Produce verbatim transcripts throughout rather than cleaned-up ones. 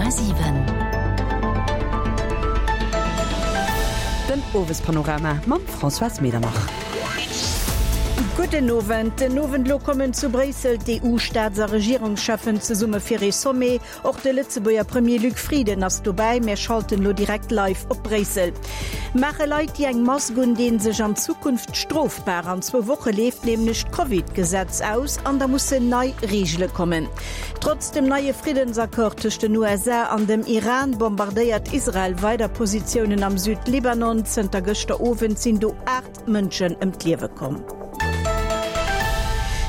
Komma siwen. Den Owespanorama mam Françoise Medernach. Gudden Owend. Den Owend lo kommen zu Bréissel d'EU-Staats a Regierungscheffen zesumme fir ee Sommet. Och de Lëtzebuerger Premier Luc Frieden ass dobäi. Mir schalten lo direkt live op Bréissel. Maache Leit, déi eng Mask undinn, sech an Zukunft strofbar? An zwou Woche leeft nämlech d'Covid-Gesetz aus an da mussen nei Reegele kommen. Trotz dem neie Friddensaccord tëscht den U S A an dem Iran bombardéiert Israel weider Positiounen am Südlibanon. Zënter gëschter Owend sinn do aacht Mënschen ëm d'Liewe komm.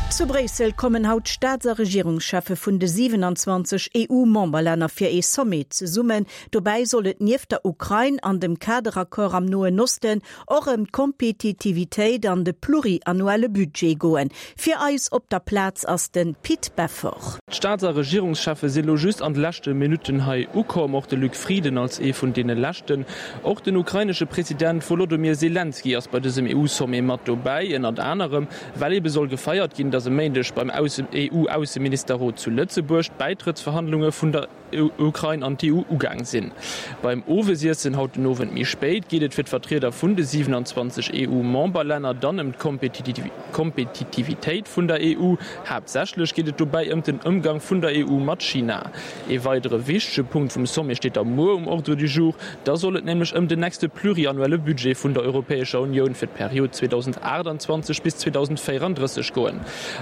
Zu Bréissel kommen haut d'Staats a Regierungscheffe vun de siewenundzwanzeg E U-Memberlänner fir ee Sommet zesummen. Dobäi soll et nieft der Ukrain an dem Kaderaccord am Noen Osten och ëm d'Kompetitivitéit an de pluriannuelle Budget goen. Fir eis op der Plaz ass de Pit Beffort. D'Staats a Regierungscheffe si lo just an de leschte Minutten hei ukomm, och de Luc Frieden als ee vun deene leschten. Och den ukrainesche President Volodymyr Selenskyj ass bei dësem E U-Sommet mat dobäi, ënnert anerem well ebe soll gefeiert ginn, datt e Méindeg beim E U-Ausseministerrot zu Lëtzebuerg d'Bäitrëttsverhandlunge vun der Ukrain an d'E U ugaang sinn. Beim Owesiessen haut den Owend méi spéit geet et fir d'Vertrieder vun de siewenundzwanzeg E U-Memberlänner dann ëm d'Kompetitivitéit vun der E U. Haaptsächlech geet et dobäi ëm den Ëmgang vun der E U mat China. Ee weidere wichtege Punkt vum Sommet steet da muer um Ordre du jour. Da soll et nämlech ëm den nächste pluriannuelle Budget vun der Europäescher Unioun fir d'Period zweedausendachtundzwanzeg bis zweedausendvéierunddrësseg goen.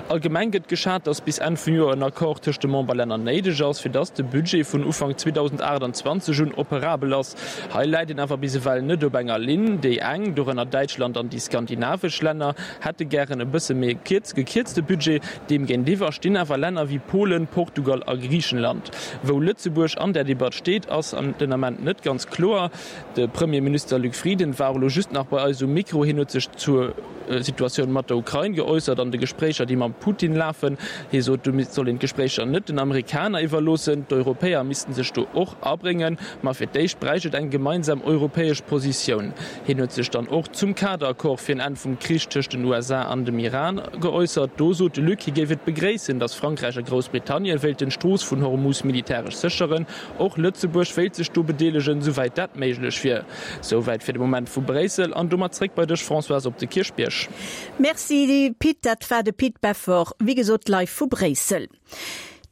Allgemeng gëtt geschat, datt bis Enn vum Joer en Accord tëscht de Memberlänner néideg ass, fir datt de Budget vun Ufank zweedausendachtundzwanzeg un operabel ass. Hei läit een awer bis ewell net op enger Linn. Déi eng, dorënner Däitschland an déi skandinavesch Länner, hätte gären e bësse méi gekierzte Budget. Deem géintiwwer stinn awer Länner wéi Polen, Portugal a Griichenland. Wou Lëtzebuerg an der Debatt steet, ass den Ament net ganz kloer. De Premierminister Luc Frieden war elo just nach bei eis um Mikro. Hien huet sech zur Situatioun mat der Ukrain geäussert an de Gespréicher, déi mam Putin lafen. Hie sot, do soll een d'Gespréicher net den Amerikaner iwwerloossen. D'Europäer missten sech do och abréngen, ma fir d'éischt bräicht et eng gemeinsam europäesch Positioun. Hien huet sech dann och zum Kaderaccord fir en Enn vum Krich tëscht den U S A an dem Iran geäussert. Do sot de Luc, hie géif et begréissen, datt Frankräich a Groussbritannien wéilten d'Strooss vun Hormuz militäresch sécheren. Och Lëtzebuerg wéilt sech do bedeelegen, souwäit dat méiglech wier. Souwäit fir de Moment vu Bréissel an domat zréck bei dech, Françoise, op de Kierchbierg. Merci, Pit, dat war de Pit Beffort, wéi gesot live vu Bréissel.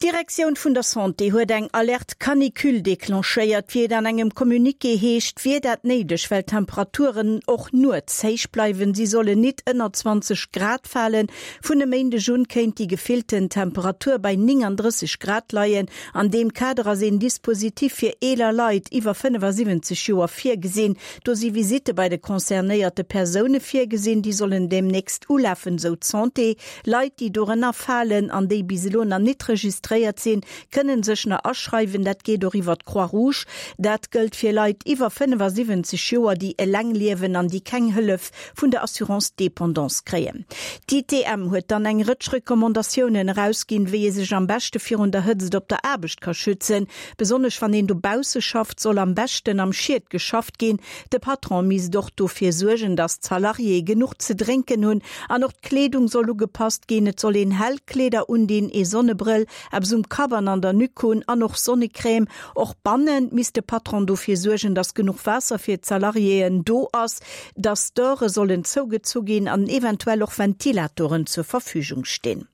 D'Direktioun vun der Santé huet eng Alerte Canicule declenchéiert, wéi et an engem Communiqué heescht, wier dat néideg, well d'Temperaturen och nuets héich bleiwen. Si sollen nit ënner zwanzeg Grad falen. Vun e Méindeg un kéint déi gefillten Temperatur bei neununddrësseg Grad leien. An deem Kader ass een Dispositif fir eeler Leit iwwer fënnefasiwwenzeg Joer virgesinn. Do si Visitte bei de concernéierte Persoune virgesinn, déi sollen demnächst ulafen, sou d'Santé. Leit, déi dorënner falen an déi bis elo nach nit registréiert sinn, kënnen sech nach aschreiwen. Dat geet och iwwer d'Croix-Rouge. Dat gëllt fir Leit iwwer fënnefasiwwenzeg Joer, déi eleng liewen an déi keng Hëllef vun der Assurance Dépendance kréien. D'I T M huet dann eng Rëtsch Recommandatiounen erausginn, wéi ee sech am beschte virun der Hëtzt op der Aarbecht ka schützen. Besonnesch wann een dobausse schafft, soll am beschten am Schied geschafft ginn. De Patron misst och dofir suergen, datt d'Salariéë genuch ze drénken hunn an och d'Kleedung soll ugepasst ginn. Et soll een hell Kleeder undinn, ee Sonnebrëll, eppes um Kapp an an der Nuque hunn an och Sonnecrème. Och bannen misst de Patron dofir suergen, datt genuch Waasser fir d'Salariéen do ass, datt Store sollen zougezu ginn an eventuell och Ventilatoren zur Verfügung stinn.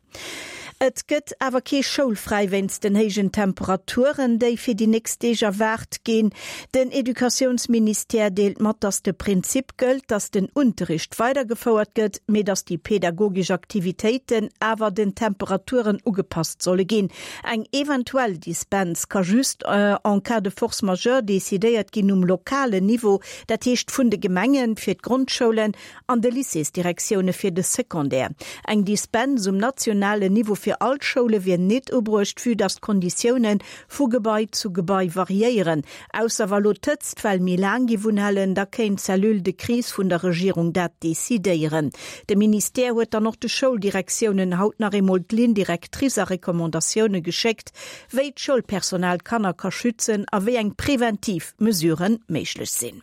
Et gëtt awer kee schoulfräi wéinst den héijen Temperaturen, déi fir déi nächst Deeg erwaart ginn. Den Educatiounsministère deelt mat, datt de Prinzip gëllt, datt den Unterricht weidergefouert gëtt, mee datt déi pädagogesch Aktivitéiten awer den Temperaturen ugepasst solle ginn. Eng eventuell Dispens ka just, äh, en cas de force majeure decidéiert ginn um lokalen Niveau, dat heescht vun de Gemengen fir d'Grondschoulen an de Lycéesdirektioune fir de Secondaire. Eng Dispens um nationalen Niveau fir all Schoule wier nit ubruecht, vue datt d'Konditioune vu Gebai zu Gebai variéieren. Ausser wa lo d'Hëtzt well méi laang gi wunhalen, da kéint d'Cellule de crise vun der Regierung dat decidéieren. De Ministère huet dann och de Schouldirektiounen haut nach eemol d'Ligne directrice a Recommandatioune geschéckt, wéi d'Schoulpersonal Kanner ka schützen a wéi eng präventiv Mesuren méiglech sinn.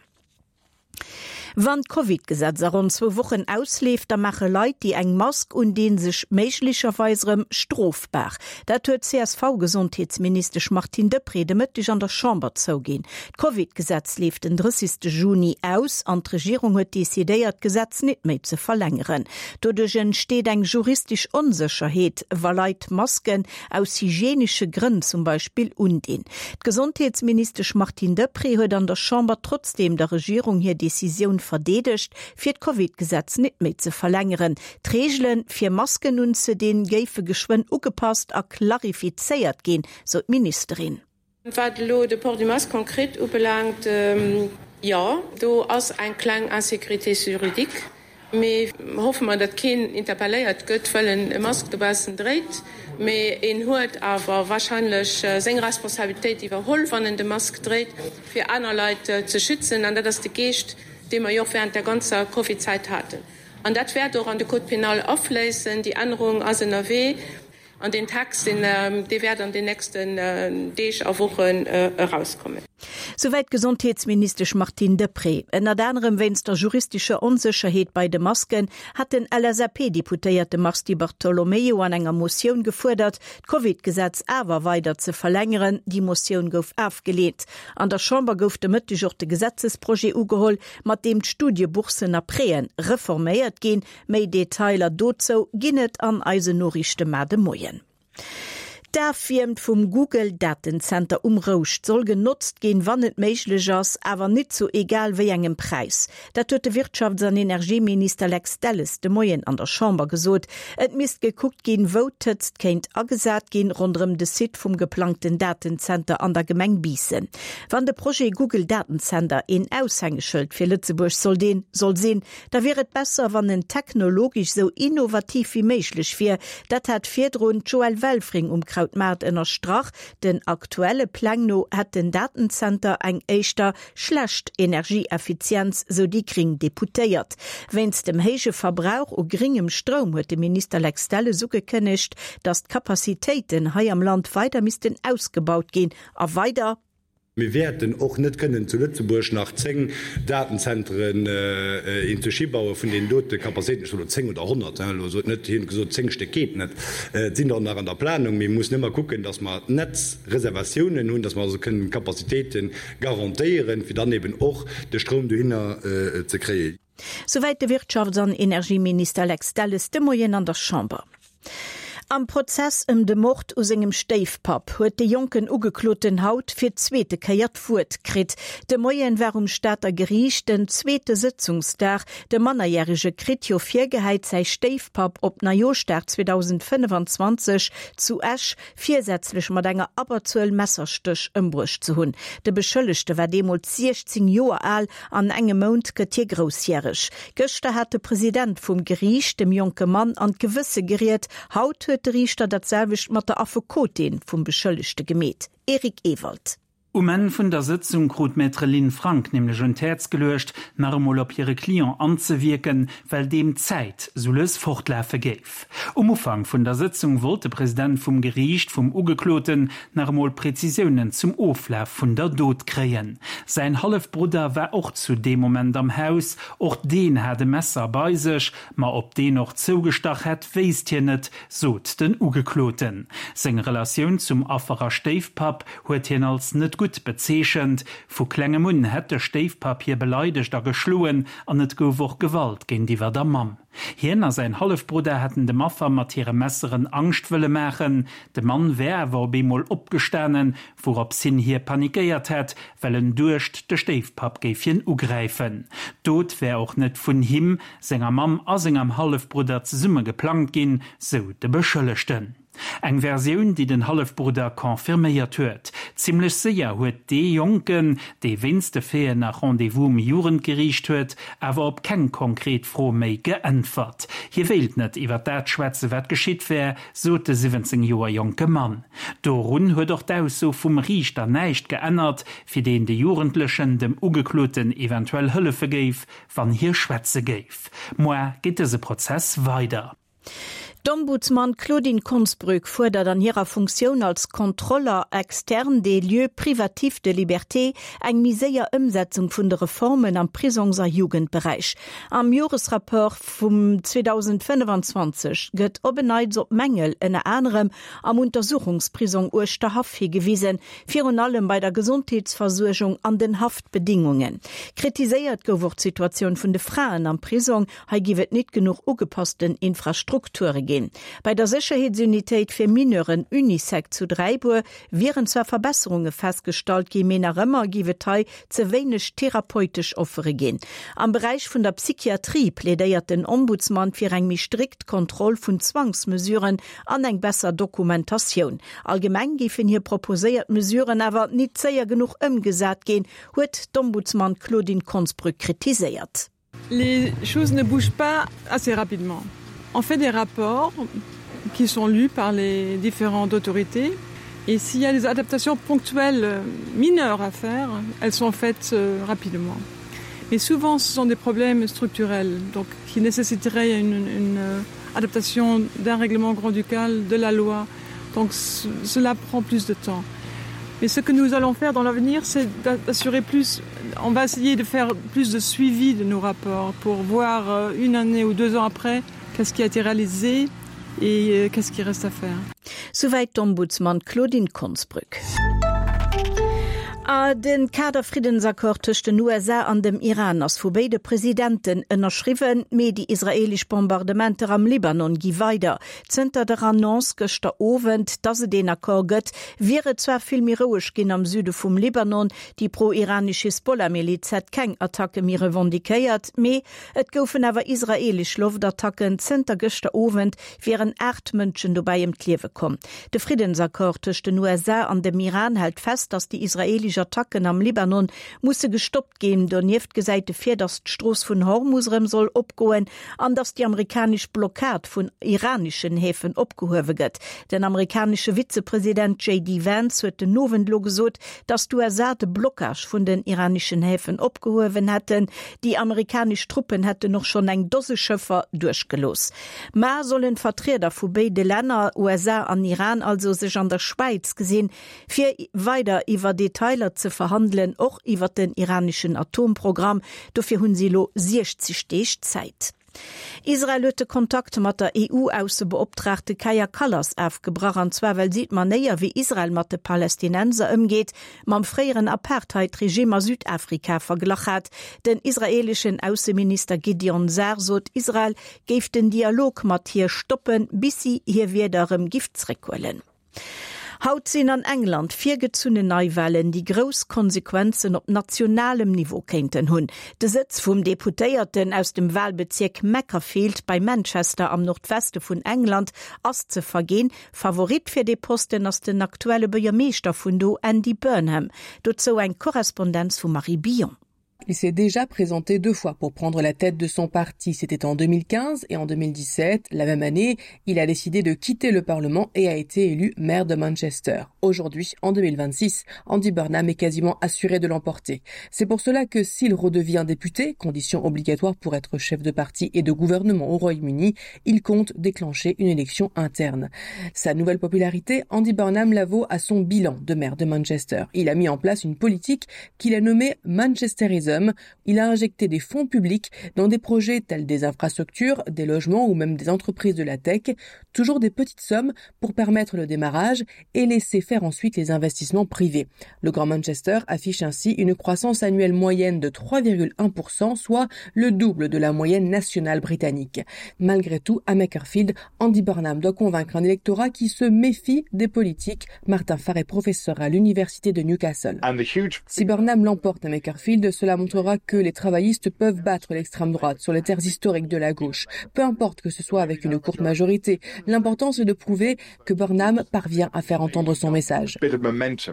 Wann d'Covid-Gesetz a ronn zwou Wochen ausleeft, da maache Leit, déi eng Mask undinn, sech méiglecherweis erëm strofbar. Dat huet d'CSV-Gesondheetsministesch Martine Deprez de Mëtteg an der Chamber zouginn. D'Covid-Gesetz leeft den drëssegste Juni aus an d'Regierung huet decidéiert, d'Gesetz net méi ze verlängeren. Doduerch entsteet eng juristesch Onsécherheet, wa Leit Masken aus hygienesche Grënn zum Beispill undinn. D'Gesondheetsministesch Martine Deprez huet an der Chamber trotzdeem der Regierung hir Decisioun verdeedegt, fir d'Covid-Gesetz net méi ze verlängeren. D'Reegele fir Masken unzedinn, géife geschwënn ugepasst a klarifizéiert ginn, sou d'Ministerin. Wat elo de Port du masque konkret ubelaangt, jo, do ass eng kleng Insécurité juridique. Mee hoffe mer, datt keen interpelléiert gëtt, well en e Mask dobaussen dréit. Mee een huet awer warscheinlech seng Responsabilitéit iwwerholl, wann en de Mask dréit, fir aner Leit ze schützen. An dat ass de Geescht, dee mer jo och während der ganzer Covid-Zäit haten. An dat wäert och an de Code pénal afléissen. Déi Ännerung ass ënnerwee. An deen Text, dee wäert an den nächsten Deeg a Wochen erauskommen. Souwäit d'Gesondheetsministesch Martine Deprez. Ënnert anerem wéinst der juristescher Onsécherheet bei de Masken hat den LSAP-Deputéierte Mars Di Bartolomeo an enger Motioun gefuerdert, d'Covid-Gesetz awer weider ze verlängeren. Déi Motioun gouf ofgeleent. An der Chamber gouf de Mëtteg och de Gesetzesprojet ugeholl, mat deem d'Studiebourssen a Prêten reforméiert ginn. Méi Detailer dozou ginn et an eisen Noriichte mar de Moien. D'Erwiermt vum Google-Datenzenter um Rouscht soll genotzt ginn, wann et méiglech ass, awer net zu egal wéi engem Präis. Dat huet de Wirtschafts an Energieminister Lex Delles de Moien an der Chamber gesot. Et misst gekuckt ginn, wou d'Hëtzt kéint agesat ginn, ronderëm de Site vum geplangten Datenzenter an der Gemeng Biissen. Wann de Projet Google Datenzenter een Aushängeschëld fir Lëtzebuerg soll deen soll sinn, da wier et besser, wann en technologesch sou innovativ wéi méiglech wier. Dat hat virdrun d'Joëlle Welfring um Krautmaart ënnerstrach. Den aktuelle Pläng no hätt den Datenzenter eng éischter schlecht Energieeffizienz, sou déi gréng Deputéiert. Wéinst dem héije Verbrauch u gréngem Stroum huet de Minister Lex Delles ugekënnegt, datt d'Kapazitéiten hei am Land weider missten ausgebaut ginn a weider. Mir wäerten och net kënnen zu Lëtzebuerg nach zéng Datenzentren inzeschi baue vun deenen dote Capacitéiten, ech soen elo zéng oder honnert, elo sot net, hien huet gesot, zéng Stéck geet net, et sinn der nach an der Planung. Mir mussen ëmmer kucken, datt mer Netzreservatiounen hunn, datt mer also kënnen Capacitéite garantéieren, fir dann eben och de Stroum dohinner ze kréien. Souwäit de Wirtschafts an Energieminister Lex Delles de Moien an der Chamber. Am Prozess ëm de Mord u sengem Stéifpapp huet de jonken Ugekloten haut fir d'zweete Kéier d'Wuert kritt. De Moien war um Stater Geriicht den zweete Sëtzungsdag. De Mannerjärege kritt jo virgehäit, säi Stéifpapp op Neijooschdag zweedausendfënnefanzwanzeg zu Esch virsätzlech mat enger Abberzuel Messerstéch ëmbruecht ze hunn. De Beschëllegte war deemools siechzéng Joer al, an engem Mount gëtt hie groussjäreg. Gëschter hat de President vum Geriicht dem jonke Mann an d'Gewësse geriet. Haut huet de Riichter dat selwecht mat der Affekotin vum Beschëllegte gemeet. Eric Ewald. Um Enn vun der Sëtzung krut d'Maître Lynn Frank nämlech un d'Häerz geluecht, nach emol op hire Client anzewierken, well deem d'Zäit sou lues fortlafe géif. Um Ufank vun der Sëtzung wollt de President vum Geriicht vum Ugekloten nach emol Prezisiounen zum Oflaf vun der Dot kréien. Säin Hallefbrudder war och zu deem Moment am Haus, och deen hat e Messer bei sech, ma ob deen och zougestach hätt, wéisst hien net, sot den Ugekloten. Seng Relatioun zum Affer a Stéifpapp huet hien als net gutt bezeechent. Vu klengem un hätt de Stéifpapp hie beleidegt a geschloen an et gouf och Gewalt géintiwwer der Mamm. Hien a säin Hallefbrudder hätten dem Affer mat hire Messeren Angscht wëlle maachen. De Mann wär awer op eemol opgestanen, wourops hin hie panikéiert hätt, well en duecht, de Stéifpapp géif hien ugräifen. D'Dot wär och net vun him, senger Mamm a sengem Hallefbrudder zesumme geplangt ginn, sou de Beschëllegten. Eng Versioun, déi den Hallefbrudder confirméiert huet. Zimmlech séier huet dee Jonken, dee wéinst de Faiten nach Rendez-vous um Jugendgeriicht huet, awer op keng konkret Fro méi geäntwert. Hie wéilt net iwwer dat schwätze wat geschitt wär, sot de siwwenzéng Joer jonke Mann. Dorun huet och d'Ausso vum Riichter näischt geännert, fir deen de Jugendlechen dem Ugekloten eventuell hëllefe géif, wann hie schwätze géif. Moar geet dëse Prozess weider. D'Ombudsman Claudine Konsbrück fuerdert an hirer Funktioun als Contrôleur externe des lieux privatifs de liberté eng méi séier Ëmsetzung vun de Reformen am Prisongs a Jugendberäich. Am Joresrapport vum zweedausendfënnefanzwanzeg gëtt op en Neits op Mängel ënner anerem am Untersuchungsprisong Uerschterhaff higewisen, virun allem bei der Gesondheetsversuergung an den Haftbedingungen. Kritiséiert gouf och d'Situatioun vun de Fraen am Prisong, hei giff et net genuch ugepassten Infrastrukture ginn. Bei der Sécherheetsunitéit fir Mineuren Unisec zu Dräibuer wieren zwar Verbesserunge festgestallt ginn, mee nach ëmmer giff et hei ze wéineg therapeutesch Offere ginn. Am Beräich vun der Psychiatrie plädéiert den Ombudsman fir eng méi strikt Kontroll vun Zwangsmesuren an eng besser Dokumentatioun. Allgemeng géifen hir proposéiert Mesuren awer net séier genuch ëmgesat ginn, huet d'Ombudsman Claudine Konsbrück kritiséiert. Les choses ne bougent pas assez rapidement. On fait des rapports qui sont lus par les différentes autorités et s'il y a des adaptations ponctuelles mineures à faire, elles sont faites euh, rapidement. Mais souvent ce sont des problèmes structurels donc qui nécessiteraient une, une euh, adaptation d'un règlement grand-ducal, de la loi. Donc cela prend plus de temps. Mais ce que nous allons faire dans l'avenir, c'est d'assurer plus on va essayer de faire plus de suivi de nos rapports pour voir euh, une année ou deux ans après qu'est-ce qui a été réalisé et euh, qu'est-ce qui reste à faire. Souwäit d'Ombudsman Claudine Konsbrück. A den Kaderfriddensaccord tëscht den U S A an dem Iran ass vu béide Presidenten ënnerschriwwen, mee déi israeelesch Bombardementer am Libanon gi weider. Zënter der Annonce gëschter Owend, datt et deen Accord gëtt, wier et zwar vill méi roueg ginn am Süde vum Libanon, déi pro-iranesch Hisbollah-Miliz hätt keng Attacke méi revendiquéiert, mee et goufen awer israeelesch Loftattacken. Zënter gëschter Owend wieren aacht Mënschen dobäi ëm d'Liewe komm. De Friddensaccord tëscht den U S A an dem Iran hält fest, datt déi israeelesch Attacken am Libanon musse gestoppt ginn. Donieft gesäit e vir, datt d'Strooss vun Hormus erëm soll opgoen an datt déi amerikanesch Blockad vun iraneschen Häfen opgehuewe gëtt. Den amerikanesche Vizepresident J D Vance huet den Owend lo gesot, datt d'U S A de Blockage vun den iraneschen Häfen opgehuewen hätten. Déi amerikanesch Truppen hätten och schonn eng Dose Schëffer duerchgelooss. Mar sollen Vertrieder vu béide Länner, U S A an Iran also, sech an der Schwäiz gesinn, fir weider iwwer Detailer ze verhandelen, och iwwer den iraneschen Atomprogramm. Dofir hunn si lo siechzeg Deeg Zäit. Israel huet de Kontakt mat der E U-Aussebeoptraagte Kaja Kallas ofgebrach, an zwar well si d'Manéier, wéi Israel mat de Palästinenser ëmgeet, mam fréieren Apartheid-Regime a Südafrika verglach hat. Den israeleschen Ausseminister Gideon Saar sot, Israel géif den Dialog mat hir stoppen, bis si hir Wierder erëm géif zréckhuelen. Haut sinn an England virgezunnen Neiwalen, déi grouss Konsequenzen op nationalem Niveau kéinten hunn. De Sëtz vum Deputéierten aus dem Walbezierk Makerfield bei Manchester am Nordweste vun England ass ze verginn. Favorit fir de Posten ass den aktuelle Buergermeeschter vun do, Andy Burnham. Dozou eng Korrespondenz vum Marie Billon. Il s'est déjà présenté deux fois pour prendre la tête de son parti. C'était en deux mille quinze et en deux mille dix-sept. La même année, il a décidé de quitter le Parlement et a été élu maire de Manchester. Aujourd'hui, en deux mille vingt-six, Andy Burnham est quasiment assuré de l'emporter. C'est pour cela que s'il redevient député, condition obligatoire pour être chef de parti et de gouvernement au Royaume-Uni, il compte déclencher une élection interne. Sa nouvelle popularité, Andy Burnham la vaut à son bilan de maire de Manchester. Il a mis en place une politique qu'il a nommée Manchesterism. Il a injecté des fonds publics dans des projets tels des infrastructures, des logements ou même des entreprises de la tech, toujours des petites sommes pour permettre le démarrage et laisser faire ensuite les investissements privés. Le Grand Manchester affiche ainsi une croissance annuelle moyenne de trois virgule un pour cent, soit le double de la moyenne nationale britannique. Malgré tout, à Makerfield, Andy Burnham doit convaincre un électorat qui se méfie des politiques. Martin Farr est professeur à l'université de Newcastle. Si Burnham l'emporte à Makerfield, cela montrera que les travaillistes peuvent battre l'extrême droite sur les terres historiques de la gauche. Peu importe que ce soit avec une courte majorité, l'important c'est de prouver que Burnham parvient à faire entendre son message.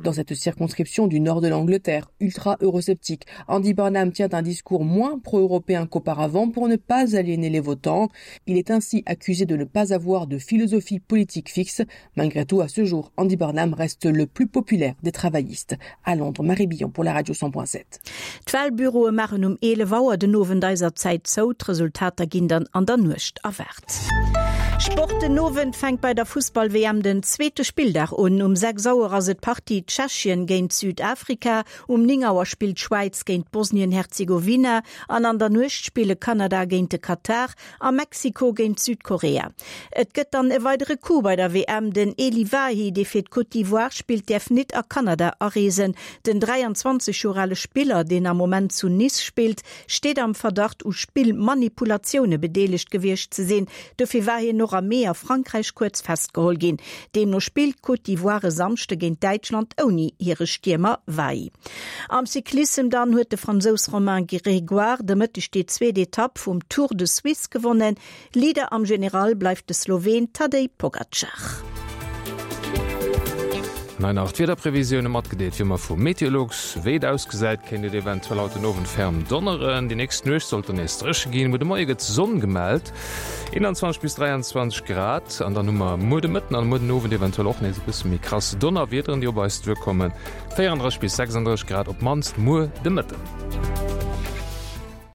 Dans cette circonscription du nord de l'Angleterre, ultra-eurosceptique, Andy Burnham tient un discours moins pro-européen qu'auparavant pour ne pas aliéner les votants. Il est ainsi accusé de ne pas avoir de philosophie politique fixe. Malgré tout, à ce jour, Andy Burnham reste le plus populaire des travaillistes. À Londres, Marie Billon pour la radio cent point sept. D'Walbüroe maachen um eelef Auer den Owend eiser Zäit zou, d'Resultater ginn dann an der Nuecht erwaart. Sport Den Owend fänkt bei der Fussball-WM den zweete Spilldag un. Um sechs Auer ass et d'Partie Tschechien géint Südafrika, um néng Auer spillt d'Schwäiz géint Bosnien-Herzegowina an an der Nuecht spille Kanada géint de Katar a Mexiko géint Südkorea. Et gëtt dann e weidere Coup bei der WM, Den Elye Wahi, dee fir d'Côte d'Ivoire spillt, däerf nit a Kanada areesen. Den dräianzwanzeg Joer ale Spiller, deen am Moment zu Nice spillt, steet am Verdacht u Spillmanipulatioune bedeelegt gewiescht ze sinn. Dofir war hien och am Mee a Frankräich kuerz festgeholl ginn. Deemno spillt d'Côte d'Ivoire e Samschde géint Däitschland ouni hire Stiermer Wahi. Am Cyclissem dann huet de Fransous Romain Grégoire de Mëtteg déi zweet Etapp vum Tour de Suisse gewonnen. Leader am General bleift de Sloween Tadej Pogacar. An hei nach d'Wiederprevisioune matgedeelt wéi ëmmer vu Meteolux. Wéi et ausgesäit, kéint et eventuell haut den Owend ferm donneren. Déi nächst Nuecht sollt dann nees dréche ginn, muer de Moie gëtt Sonn gemellt, einundzwanzeg bis dräianzwanzeg Grad. An dann hu mer muer de Mëtten an muer den Owend eventuell och nees e bësse méi krass Donnerwiederen, déi op eis duerkommen, véierandrësseg bis sechsandrësseg Grad op d'mannst muer de Mëtten.